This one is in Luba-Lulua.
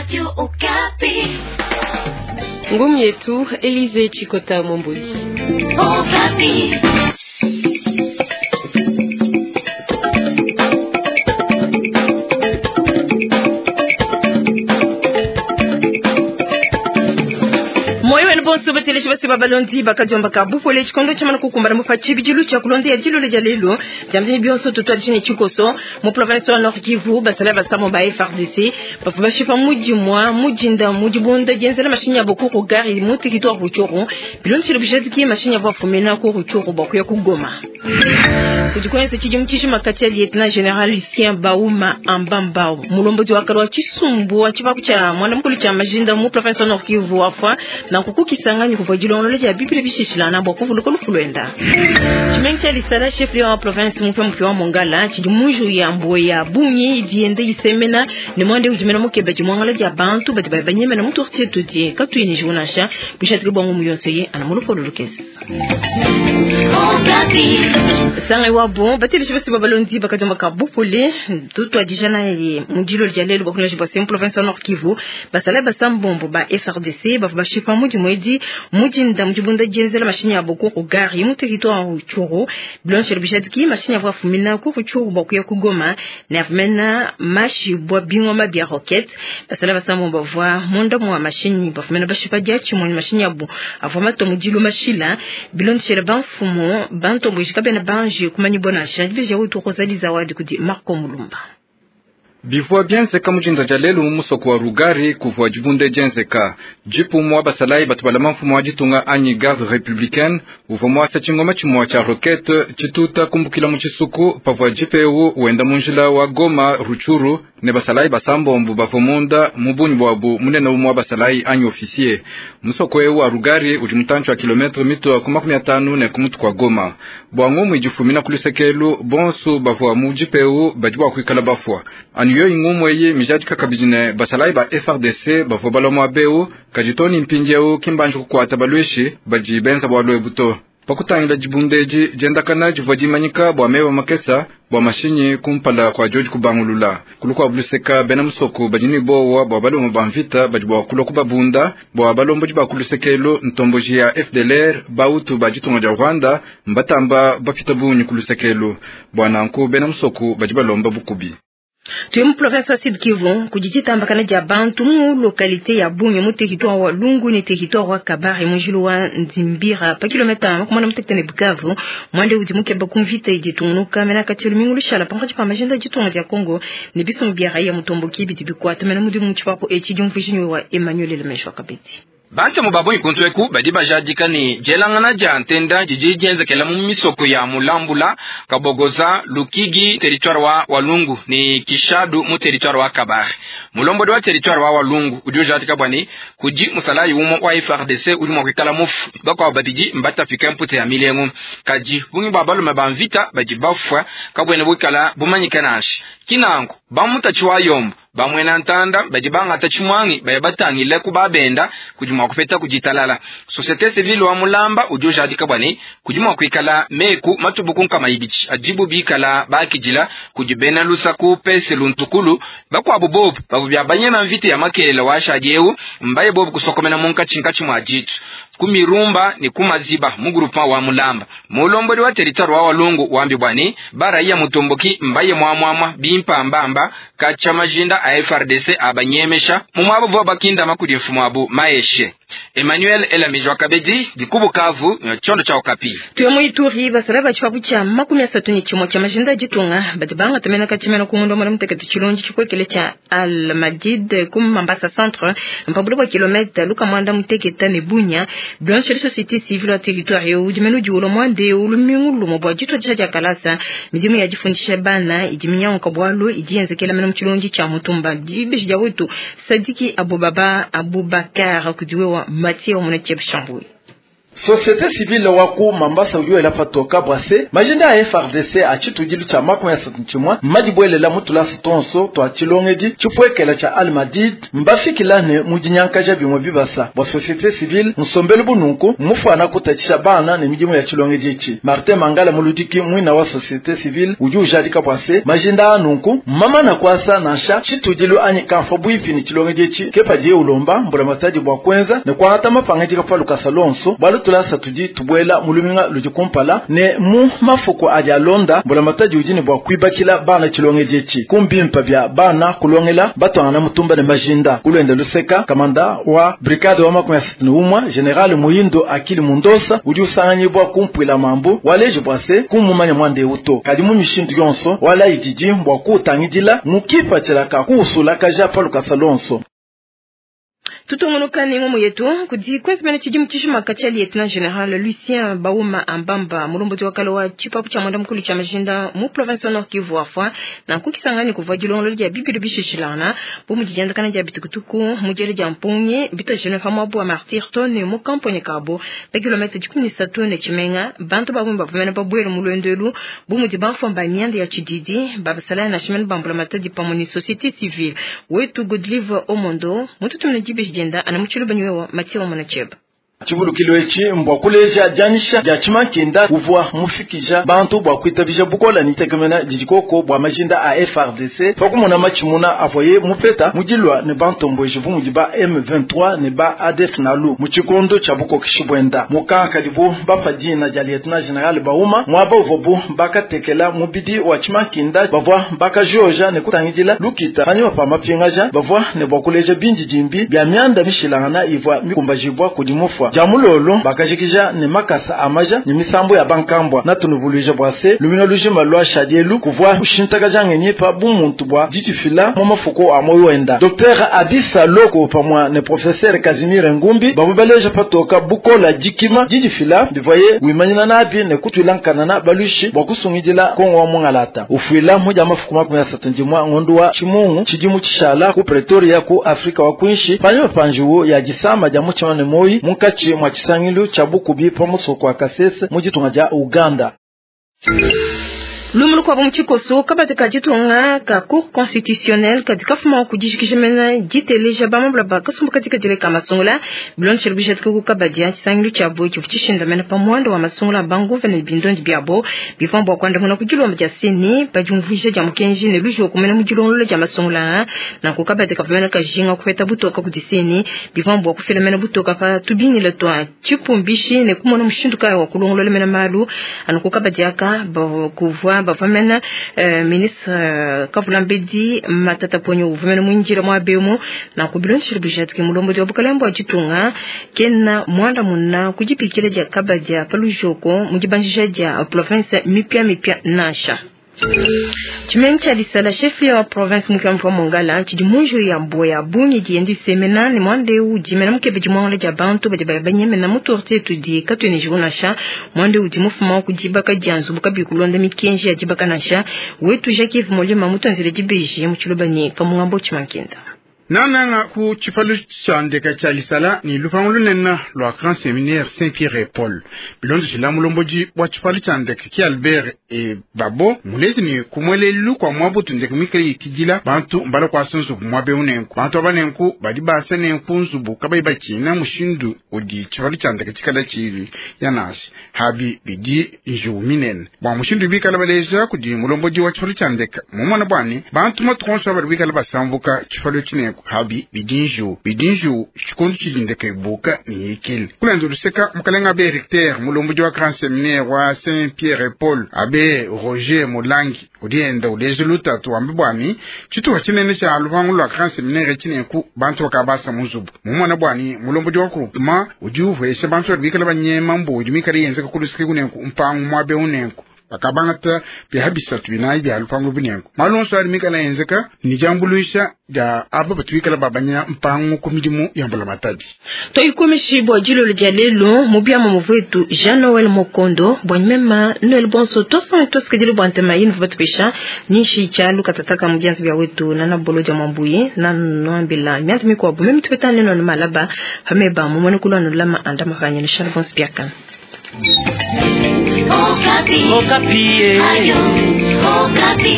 Radio Okapi. Ngumi yetu Elize Chikota Mwambuli. Okapi. Moyo wenu bonso bateleshi basi babalondi bakadiomba ka bupole tshikondo tsha mana kukumbana mupa tshibidilu tsha kulonda ya dilolo dia lelo diamdini bionso tutwa tshine tshikoso mu province wa Nord Kivu basala basamo ba FARDC bavua bashipa mudimwa mudinda mudibunda dienzela mashinyi abo ku gari mu territoire Rutshuru bilondeshile bujadiki mashinyi avo afumina ku Rutshuru bua kuya ku Goma. Kudikwenza tshidimu tshijima kati ya lieutenant general Lucien Bauma Ambambao mulombodi wa kale wa tshisumbu wa tshipapu tsha mwana mukulu tsha majinda mu province wa Nord Kivu wafwa na kukukisangani kuvua dilongolola dia bibile bishishilana bua kuvuluka lufu luenda. Tshimenga tsha Lisala chef wa province mupya mupya wa Mongala tshidi muju ya mbuwe ya bungi idi yenda isemena ne mwande udi mena mukeba dimuangala dia bantu badi banyemena mu quartier tudi katuyi ne nansha bushatike bwa ngumu yonso ye ana mu lupolo lukese. Okapi. Sanga wa bon bateleshi basi babalondi bakadiomba ka bupole tutwadija na ye mudilo dia lelo bakunyaji bwa sem province wa Nord Kivu basala basambombo ba FARDC bavua bashipa mudimu edi mudinda mudibunda dienzela mashinyi abo ku gari mu territoire wa Rutshuru bilondeshile bujadiki mashinyi avua afumina ku Rutshuru bua kuya ku Goma ne afumena mashi bua bingoma bia roquette basala basambombo bavua munda mua mashinyi bafumena bashipa diatshimue ne mashinyi abo avua matua mudilu mashila bilondeshile bamfumu bantomboji kabena banji kumanyibua nansha dibeji utu Rosalie Zawadi kudi Marco Mulumba. Bivua bienzeka mujinda dia lelu mu musoko wa Rugari kuvua dibunde dienzeka jipu mwa basalayi batu balama mfumu wa ditunga anyi garde républicaine uvua muasa tshingoma tshimua tshia roquette tshituta kumbukila mu tshisuku pavua jipe ewu wenda mu njila wa Goma Rutshuru ne basalayi basambombo bavua munda mu bungi buabu munene umue wa basalayi anyi officier. Musoko ewu wa Rugari udi mutantshi wa kilometre mitua ku 50 ne ku mutu kua Goma. Bua ngumu idi ifumina ku lusekelu bonso bavua mu jipe ewu badi bua kuikala bafua anu yoyi ngumu eyi mijadika kabidi ne basalayi ba FARDC bavua balua muaba ewu kadi to ne mpindiewu ki mbanji kukuata baluishi badi benza bualu ebu to. Pakutangila dibunda edi diendakana divua dimanyika bua meba makesa bua mashinyi kumpala kua diodi kubangulula. Kulu kua buluseka bena musoko badi ne bowa bua baloma ba mvita badi bua kulua kubabunda bua balombodi ba kulusekelo ntomboji ya FDLR bautu ba ditunga dia Rwanda mbatamba bapita bungi kulusekelo bua nanku bena musoko badi balomba bukubi. Tuye mu province wa Sud Kivu kudi ditambakana dia bantu mu localité ya Bunia mu territoire wa Lungu ne territoire wa Kabare mu njilu wa Nzimbira pa kilomètre 46 ne Bukavu mwande udi mukeba ku mvita idi itungunuka mena kati lumingu lushala pankatshi pa majinda ditunga dia Congo ne bisumbu bia raia mutomboki bidi bikuata mena mudimu mu tshipapu etshi diumvuijinyi wa Emmanuel Lemeshwa Kabedi. Bantemu ba bungi kuntu eku badi bajadika ne dielangana dia ntenda didi dienzekela mu misoko ya Mulambula, Kabogoza, Lukigi territoire wa Walungu ne Kishadu mu territoire wa Kabare. Mulombodi wa territoire wa Walungu udi ujadika bua ne kudi musalayi umue wa FARDC udi mua kuikala mufu, bakuabu babidi mbatapike mpute ya milengu. Kadi bungi bua balume ba mvita badi bafua kabuena buikala bumanyike nansha. Kinanku bamutatshi wa yombo bamwena ntanda badi bangata tshimwangi baya batangile ku babenda kudi mua kupeta kuditalala. Société civile wa Mulamba udi ujadika bua ne kudi mua kuikala meku matubuku nkama ibidi adibu bikala bakidila kudi bena lusaku pese luntukulu bakuabu bobu bavua bia banyema mvita ya makelela wa shadi ewu mbaye bobu kusokomena munkatshinkatshi mua ditu ku mirumba ne ku maziba mu groupement wa Mulamba. Mulombodi wa territoire wa Walungu wambi bua ne baraiya mutomboki mbaye muamuamua bimpambamba katsha majinda a FARDC abanyemesha mu mwabo vua bakindama kudi mfumu abu Maeshe. Emmanuel Elamijwa Kabedi dikubukavu chondo cha Okapi. Tuye mu Ituri basala ba tshipapu tsha 31 tsha majinda ditunga badi bangata mena katshimena ku ngondo mwana mutekete tshilonji tshikwekele tsha Al Majid ku Mambasa centre mpabulu bua kilomètre luka mwanda muteketa ne Bunia Blanche société civile wa territoire yo udi menu diulo mwande ulumingu lumo bua ditwa dia kalasa midimu ya difundisha bana idi minyango bwalu idi yenzekela mena mu tshilonji tsha mutumba dibeji dia wetu Sadiki Abubaba Abubakar kudiwe wa Mathieu Munacheb Chambouy. Société civile wa ku Mambasa udi wela patoka bua se majinda a FARDC a tshitudilu tshia 31 mmadibwelela mu tulasa tonso twa tshilongedi tshipuekela tshia Al-Madid mbafikila ne mu dinyankaja bimue bibasa bua société civile nsombelu bununku mmufuana kutatshisha bana ne midimu ya tshilongedi etshi. Martin Mangala muludiki muina wa société civile udi ujadika bua se majinda a nunku mmamana kuasa nansha tshitudilu anyi kamfa buipi ne tshilongedi etshi ke padiye ulomba mbulamatadi bua kuenza ne kuangata mapangadika pa lukasa lonso bualu tulasa tudi tubuela mu luminga ludi kumpala ne mu mafuku adi alonda mbulamatadi udi ne bua kuibakila bana tshilongedi etshi kumbimpa bia bana kulongela batwangana mutumba ne majinda. Kulwenda luseka kamanda wa brigade wa 61 general Muhindo Akili Mundosa udi usanganyibwa kumpwila mambu waleji bua se kumumanya mwande uto kadi mu mishindu yonso wala ididi bua kuutangidila mukipa tshilaka kuusulakaja pa lukasa lonso. Tutungunuka ne ngomo yetu kudi kwenzimene tshidimu tshijima katshia lieutenant general Lucien Bauma Ambamba mulombodi wa kale wa tshipapu tshia mwanda mukulu tshia majinda mu province wa Nord Kivu afwa na nkukisangani kuvua dilongololo dia bibilu bishishilana bu mudi diandakana dia bitukutuku mu diele dia mpungi bitojene pa muabu wa Martyr Tone mu kampone kabo pa kilomètre 13 ne tshimenga bantu babungi bavumene babuele mu lwendo bu mudi bamfumba mianda ya tshididi babasala na shimene bambula matadi pamwe ni société civile wetu Godlive Omondo mututumine dibeji dienda ana mutshilu banywewa Mathieu wa Mwanacheba. Tshivulukilo etshi mbua kuleja dianyisha dia tshimankenda uvua mufikija bantu bua kuitabija bukola ni tekemena didi koko bua majinda a FARDC pa kumona matshimuna avuaye mupeta mudilua ne bantomboji bu mudi ba M23 ne ba ADF nalu mu tshikondo tshia bukokeshi buenda mukankadibu bapa dina dia lieutenant general Bauma muaba uvuabu bakatekela mubidi wa tshimankenda bavua bakajoja ne kutangidila lukita panyima pa mapingaja bavua ne bua kuleja bindidimbi bia mianda mishilangana ivua mikumbajibwa kudi mufua jamulolo bakajikija ne makasa amaja ne misambo ya bankambwa natunuvuluija bua se lumina lujima lwa shadielu kuvua kushintakaja ngenyi pa bumuntu bua ditufila mu mafuko a moyo wenda. Dr Abisa Loko pamwa ne professeur Casimir Ngumbi bavua baleja patoka bukola dikima didifila bivaye wimanyina nabi ne kutwila nkanana balushi bua kusungidila Kongo wa mungalata ufuila muja mafuko 31 ngondu wa chimungu chidimu chishala ku Pretoria ku Afrika wa kwinshi panyuma panjuwo ya disama dia mutshima ne moyi munkachi mwa chisangilu cha bukubi pa musoko wa Kasese mu ditunga dia Uganda. Lumulu kwa mchikoso kabati ka ditunga ka cour constitutionnelle kadi kafuma kudijikijimena diteleja bamabula bakasumbu katika dile ka masungula bilonshelo bijatike ku kabadi ya chisangilu tshia bo tshivu tshishindamena pa muanda wa masungula banguva ne bindondi biabo bivua bua kuandamuna ku dilomba dia seni pa diumvuija dia mukenji ne lujo kumena mu dilongolola dia masungula nanku kabadi kavumena kajinga kupeta butoka kudi seni bivua bua kufilamena butoka pa tubingila tua tshipumbishi ne kumona mushindu kaya wa kulongolola mena malu anuku kabadi aka kuvua bavamena ministre Kavulambedi Matata Ponyo uvumena mwinjira mwa bemo na kubilonshilo bijatike mulombo wa bukalembo ajitunga kena mwanda muna kujipikila dia kabadia palujoko mujibanjisha dia province mipya mipya nasha. Chimengi cha lisala chef wa province mupya mongala chidi munju ya mboya bunyi diendi semena ni mwande uji mena mukebe jimwangala ja bantu badi bayabanyemena mutorte tudi katwene jiunasha mwande uji mufuma kujibaka janzu bukabi kulonda mikenji ya jibaka nasha wetu Jacques Molima mutanzile jibeji muchilubani kamungambo chimankenda. Nananga ku tshipalu tshia ndeka tshia lisala ni lupangu lunene lua Grand Séminaire Saint-Pierre et Paul. Bilondo tshila mulombodi wa tshipalu tshia ndeka ki Albert e Babo mulezi ni kumwelelu kwa mwabutu ndeka mikale yikidila bantu mbala kwasa nzubu mwabe unenku bantu abanenku badi basa nenku nzubu kabayi batshina mushindu udi tshipalu tshia ndeka tshikala tshili ya nasi habi bidi njuwu minene bua mushindu bikala baleja kudi mulombodi wa tshipalu tshia ndeka mumona bwani bantu matukonso badi bikala basambuka tshipalu tshinenku habi bidinju bidinju tshikondo tshilindeka ibuka ni yikile kulenza luseka mukalenga abe recteur mulomboji wa Grand Séminaire wa Saint Pierre et Paul abe Roger Mulangi udienda uleja lutatu wambe bwani tshituha tshinene tsha lupangu lua Grand Séminaire tshinenku bantu bakabasa muzubu mumona bwani mulomboji wa groupement udi uvesha bantu badi bikala banyema mbu udi mikale yenzeka kuluseke kunenku mpangu mwabe unenku. Bakabangata biaha bisatu binayi bia lupangu bunengu. Malu onso adi mikala enzeka ni diambuluisha dia aba batu bikala babanya mpangu ku midimu ya mbulamatadi. Toikomishibwa dilolo dia lelo mu biama muvuetu Jean Noel Mokondo bwa mema Noel Bonso tosanga tosikidile bwa ntema yinu batupesha nishi cha lukatataka mu byanzi bya wetu nana bolo dia mwambuye na nwambila myanzi mikwabu memi tupetane neno malaba pameba mumone kulwa nulama anda mafanya ni Charles Bonso biakana. Okapi. Okapi. Ayo, Okapi.